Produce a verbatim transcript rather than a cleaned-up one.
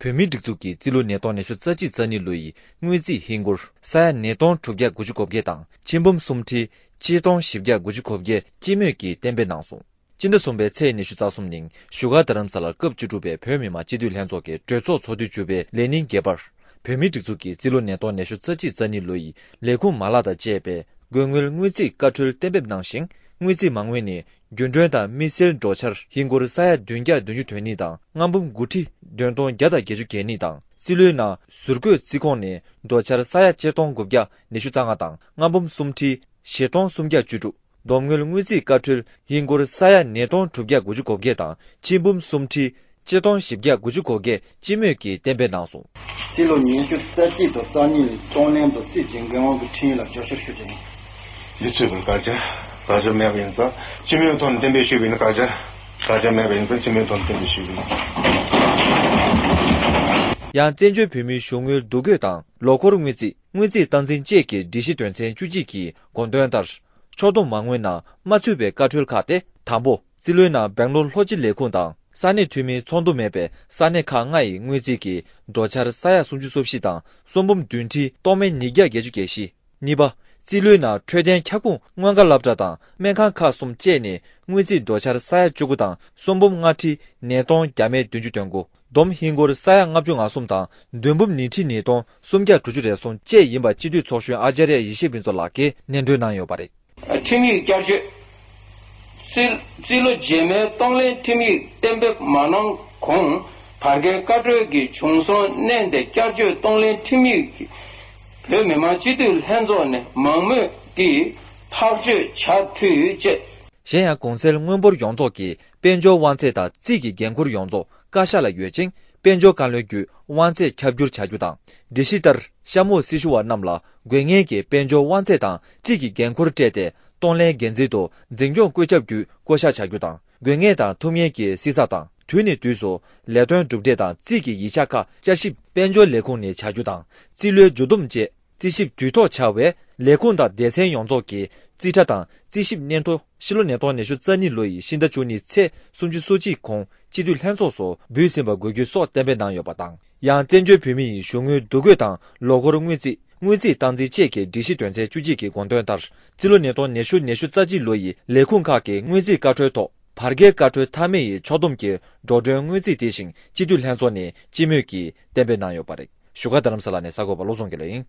བོད་མིའི་སྒྲིག་འཛུགས་ཀྱིས་རྩིས་ལོ་ཉིས་སྟོང་ཉི་ཤུ་རྩ་གཅིག་རྩ་གཉིས་ལོ་ཡི་དངུལ་རྩིས་ཧིན་སྒོར་ས་ཡ་ཉིས་སྟོང་དྲུག་བརྒྱ་དགུ་བཅུ་གོ་བརྒྱད་དང་ཆིག་འབུམ་སུམ་ཁྲི་ཆིག་སྟོང་བཞི་བརྒྱ་དགུ་བཅུ་གོ་བརྒྱད་སྤྱི་མོས་ཀྱིས་གཏན་འབེབས་གནང་སོང་། སྤྱི་ཟླ་གསུམ་པའི་ཚེས་ཉི་ཤུ་རྩ་གསུམ་ཉིན་བཞུགས་སྒར་རྡ་རམ་ས་ལར་སྐབས་བཅུ་དྲུག་པའི་བོད་མི་མང་སྤྱི་འཐུས་ལྷན་ཚོགས་ཀྱི་གྲོས་ཚོགས་ཚོགས་དུས་བཅུ་པའི་ལས་ཉིན་བརྒྱད་པར། བོད་མིའི་སྒྲིག་འཛུགས་ཀྱི་རྩིས་ལོ་ཉིས་སྟོང་ཉི་ཤུ་རྩ་གཅིག་རྩ་གཉིས་ལོ་ཡི་ལས་ཁུངས་མ་ལག་དང་བཅས་པའི་དགོས་དངུལ་དངུལ་རྩིས་བཀའ་འཁྲོལ་གཏན་འབེབས་གནང་ཞིང་། དངུལ་རྩིས་མ་དངུལ་ནི་རྒྱུན་གྲོན་དང་དམིགས་བསལ་འགྲོ་འཆར་ཧིན་སྒོར་ས་ཡ་བདུན་བརྒྱ་བདུན་ཅུ་དོན་གཉིས་དང་ལྔ་འབུམ་དགུ་ཁྲི་བདུན་སྟོང་བརྒྱ་དང་བརྒྱད་ཅུ་གྱ་གཉིས་དང་། རྩིས་ལོའི་ནང་ཟུར་བཀོད་རྩིས་ཁོངས་ནི་འགྲོ་འཆར་ས་ཡ་ཆིག་སྟོང་དགུ་བརྒྱ་ཉི་ཤུ་རྩ་ལྔ་དང་ལྔ་འབུམ་སུམ་ཁྲི་བཞི་སྟོང་སུམ་བརྒྱ་བཅུ་དྲུག་བསྡོམས་དངུལ་དངུལ་རྩིས་བཀའ་འཁྲོལ་ཧིན་སྒོར་ས་ཡ་ཉིས་སྟོང་དྲུག་བརྒྱ་དགུ་བཅུ་གོ་བརྒྱད་དང་ཆིག་འབུམ་སུམ་ཁྲི་ཆིག་སྟོང་བཞི་བརྒྱ་དགུ་བཅུ་གོ་བརྒྱད་སྤྱི་མོས་ཀྱིས་གཏན་འབེབས་གནང་སོང་། རྩིས་ལོ་ཉི་ཤུ་རྩ་གཅིག་དང་རྩ་གཉིས་ལ་གཏོང་ལེན་དང་རྩིས་ཀྱི་འགན་དབང་གི་ཁྲིམས་ཡིག་ལ་བསྐྱར་བཅོས་ཞུ་རྒྱུ་ཡིན། འདི་ཚོས་པར་བཀག་ཆ་བཀག་ཆ་མེད་པ་ཡིན་ཙང་སྤྱི་མོས་ཐོག་ནས་གཏན་འབེབས་ཞུས་པ་ཡིན་ན། བཀག་ཆ་བཀག་ཆ་མེད་པ་ཡིན་ཙང་སྤྱི་མོས་ཐོག་ནས་གཏན་འབེབས་ཞུས་པ་ཡིན། ཡང་བཙན་བྱོལ་བོད་མིའི་གཞུང་དངུལ་བསྡུ་སྐྱོད་དང་ལོ་འཁོར་དངུལ་རྩིས། དངུལ་རྩིས་སྟངས་འཛིན་བཅས་ཀྱི་སྒྲིག་གཞི་དོན་ཚན་བཅུ་གཅིག་གི་དགོངས་དོན་ལྟར། ཕྱོགས་བསྡོམས་མ་དངུལ་ནང་མ་ཚུད་པའི་བཀའ་འཁྲོལ་ཁག་སྟེ། དང་པོ། རྩིས་ལོའི་ནང་སྦེང་ལོར་ལྷོ་སྤྱི་ལས་ཁུངས་དང་ས་གནས་འཐུས་མིའི་ཚོགས་འདུ་མེད་པའི་ས་གནས་ཁག་ལྔ་ཡི་དངུལ་རྩིས་ཀྱི་འགྲོ་འཆར་ས་ཡ་སུམ་ཅུ་སོ་བཞི་དང་སུམ་འབུམ་བདུན་ཁྲི་སྟོང་མེད་ཉིས་བརྒྱ་བརྒྱད་ཅུ་གྱ་བཞི། གཉིས་པ། རྩིས་ལོའི་ནང་འཕྲོད་བསྟེན་ཁྱབ་ཁོངས་མངོན་དགའ་སློབ་གྲྭ་དང་སྨན་ཁང་ཁག་གསུམ་བཅས་ནས་དངུལ་རྩིས་འགྲོ་འཆར་ས་ཡ་བཅུ་དགུ་དང་སུམ་འབུམ་ལྔ་ཁྲི་ཉིས་སྟོང་བརྒྱ་མེད་བདུན་ཅུ་དོན་དགུ། བསྡོམས་ཧིན་སྒོར་ས་ཡ་ལྔ་བཅུ་ང་གསུམ་དང་བདུན་འབུམ་ཉི་ཁྲི་ཉིས་སྟོང་སུམ་བརྒྱ་དྲུག་ཅུ་རེ་ཟུང་བཅས་ཡིན་པ་སྤྱི་འཐུས་ཚོགས་གཞོན་ཨ་ཅཱརྱ་ཡེ་ཤེས་ཕུན་ཚོགས་ལགས་ཀྱིས་སྙན་སྒྲོན་གནང་ཡོད་པ་རེད། ཁྲིམས་ཡིག་བསྐྱར་བཅོས། རྩིས། རྩིས་ལོ་རྗེས་མའི་གཏོང་ལེན་ཁྲིམས་ཡིག་གཏན་འབེབས་མ་གནང་གོང་བར་བརྒལ་བཀའ་འཁྲོལ་གྱི་བྱུང་སོང་བསྣན་ཏེ་བསྐྱར་བཅོས་གཏོང་ལེན་ཁྲིམས་ཡིག་བོད་མི་མང་སྤྱི་འཐུས་ལྷན་ཚོགས་ནས་མང་མོས་ཀྱིས་ཐག་གཅོད་བྱ་འཐུས་བཅས། གཞན་ཡང་གོང་གསལ་དངུལ་འབོར་ཡོངས་རྫོགས་ཀྱི་དཔལ་འབྱོར་དབང་ཚད་དང་རྩིས་ཀྱི་འགན་འཁུར་ཡོངས་རྫོགས་བཀའ་ཤག་ལ་ཡོད་ཅིང་། དཔལ་འབྱོར་བཀའ་བློན་བརྒྱུད་དབང་ཚད་ཁྱབ་བསྒྱུར་བྱ་རྒྱུ་དང་། སྒྲིག་གཞི་ལྟར་གཤམ་འོག་སྲི་ཞུ་བ་རྣམས་ལ་དགོས་ངེས་ཀྱི་དཔལ་འབྱོར་དབང་ཚད་དང་རྩིས་ཀྱི་འགན་འཁུར་སྤྲད་དེ། གཏོང་ལེན་འགན་འཛིན་དང་འཛིན་སྐྱོང་བཀོད་ཁྱབ་བརྒྱུད་བསྐོ་གཞག་བྱ་རྒྱུ་དང་། དགོས་ངེས་དང་ཐུབ་ངེས་ཀྱི་བསྲི་ཚགས་དང་། དུས་ནས་དུས་སུ་ལས་དོན་གྲུབ་འབྲས་དང་རྩིས་ཀྱི་ཡིག་ཆ་ཁག་བསྐྱར་ཞིབ་དཔལ་འབྱོར་ལས་ཁུངས་ནས་བྱ་རྒྱུ་དང་། རྩིས་ལོའི་མཇུག་བསྡོམས་བཅས། རྩིས་ཞིབ་དུས་ཐོག་བྱ་བའི་ལས་ཁུངས་དང་སྡེ་ཚན་ཡོངས་རྫོགས་ཀྱི་རྩིས་ཁྲ་དང་རྩིས་ཞིབ་སྙན་ཐོ། ཕྱི་ལོ་ཉིས་སྟོང་ཉི་ཤུ་རྩ་གཉིས་ལོ་ཡི་ཕྱི་ཟླ་བཅུ་གཉིས་ཚེས་སུམ་ཅུ་སོ་གཅིག་གོང་སྤྱི་འཐུས་ལྷན་ཚོགས་སུ་འབུལ་ཟིན་པ་དགོས་རྒྱུ་སོགས་གཏན་འབེབས་གནང་ཡོད་པ་དང་། ཡང་བཙན་བྱོལ་བོད་མི་ཡི་གཞུང་དངུལ་བསྡུ་སྐྱོད་དང་ལོ་འཁོར་དངུལ་རྩིས། དངུལ་རྩིས་སྟངས་འཛིན་བཅས་ཀྱི་སྒྲིག་གཞི་དོན་ཚན་བཅུ་གཅིག་གི་དགོངས་དོན་ལྟར། རྩིས་ལོ་ཉིས་སྟོང་ཉི་ཤུ་ཉི་ཤུ་རྩ་གཅིག་ལོ་ཡི་ལས་ཁུངས་ཁག་གི་དངུལ་རྩིས་བཀའ་འཁྲོལ་ཐོག་བར་བརྒལ་བཀའ་འཁྲོལ་མཐའ་མའི་ཕྱོགས་བསྡོམས་ཀྱི་འགྲོ་གྲོན་དངུལ་རྩིས་དེ་བཞིན་སྤྱི་འཐུས་ལྷན་ཚོགས་ནས་སྤྱི་མོས་ཀྱིས་གཏན་འབེབས་གནང་ཡོད་པ་རེད། བཞུགས་སྒར་རྡ་རམ་ས་ལ་ནས་གསར་འགོད་པ་བློ་བཟང་དགེ་ལེགས་ཡིན།